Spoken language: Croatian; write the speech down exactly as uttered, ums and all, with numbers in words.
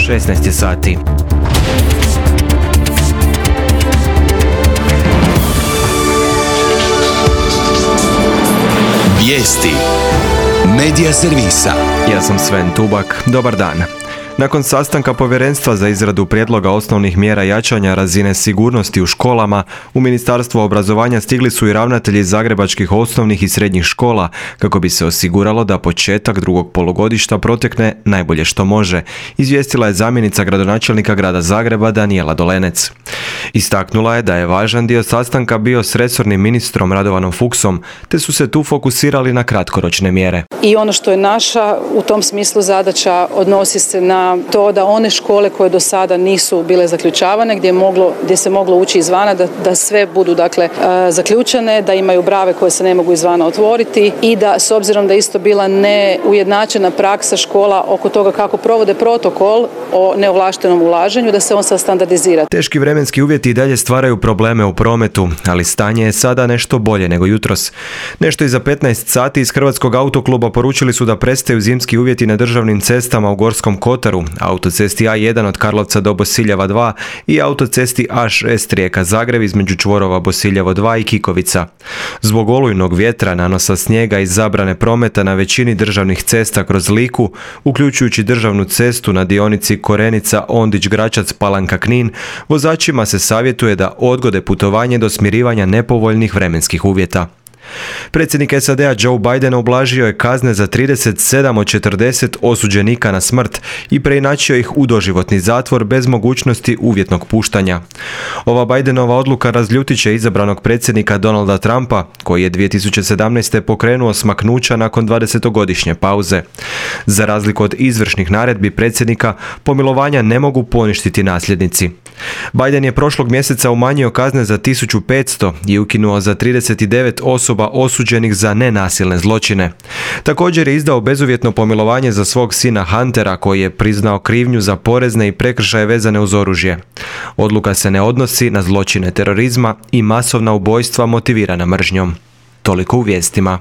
šesnaest je sati. Vijesti Medija servisa. Ja sam Sven Tubak. Dobar dan. Nakon sastanka Povjerenstva za izradu prijedloga osnovnih mjera jačanja razine sigurnosti u školama, u Ministarstvo obrazovanja stigli su i ravnatelji zagrebačkih osnovnih i srednjih škola kako bi se osiguralo da početak drugog polugodišta protekne najbolje što može, izvijestila je zamjenica gradonačelnika grada Zagreba Danijela Dolenec. Istaknula je da je važan dio sastanka bio s resornim ministrom Radovanom Fuchsom, te su se tu fokusirali na kratkoročne mjere. I ono što je naša u tom smislu zadaća odnosi se na to da one škole koje do sada nisu bile zaključavane, gdje je moglo, gdje se moglo ući izvana, da, da sve budu dakle zaključane, da imaju brave koje se ne mogu izvana otvoriti i da s obzirom da je isto bila neujednačena praksa škola oko toga kako provode protokol o neovlaštenom ulaženju, da se on sad standardizira. Teški vremenski uvjeti i dalje stvaraju probleme u prometu, ali stanje je sada nešto bolje nego jutros. Nešto iza petnaest sati iz Hrvatskog autokluba poručili su da prestaju zimski uvjeti na državnim cestama u Gorskom Kotaru, autocesti A jedan od Karlovca do Bosiljeva dva i autocesti A šest Rijeka-Zagreb između čvorova Bosiljevo dva i Kikovica. Zbog olujnog vjetra, nanosa snijega i zabrane prometa na većini državnih cesta kroz Liku, uključujući državnu cestu na dionici Korenica-Ondić-Gračac-Palanka-Knin, vozačima se savjetuje da odgode putovanje do smirivanja nepovoljnih vremenskih uvjeta. Predsjednik S A D-a Joe Biden ublažio je kazne za trideset sedam od četrdeset osuđenika na smrt i preinačio ih u doživotni zatvor bez mogućnosti uvjetnog puštanja. Ova Bidenova odluka razljutit će izabranog predsjednika Donalda Trumpa, koji je dvije tisuće sedamnaeste. pokrenuo smaknuća nakon dvadesetogodišnje pauze. Za razliku od izvršnih naredbi predsjednika, pomilovanja ne mogu poništiti nasljednici. Biden je prošlog mjeseca umanjio kazne za tisuću petsto i ukinuo za trideset devet osoba osuđenih za nenasilne zločine. Također je izdao bezuvjetno pomilovanje za svog sina Huntera, koji je priznao krivnju za porezne i prekršaje vezane uz oružje. Odluka se ne odnosi na zločine terorizma i masovna ubojstva motivirana mržnjom. Toliko u vijestima.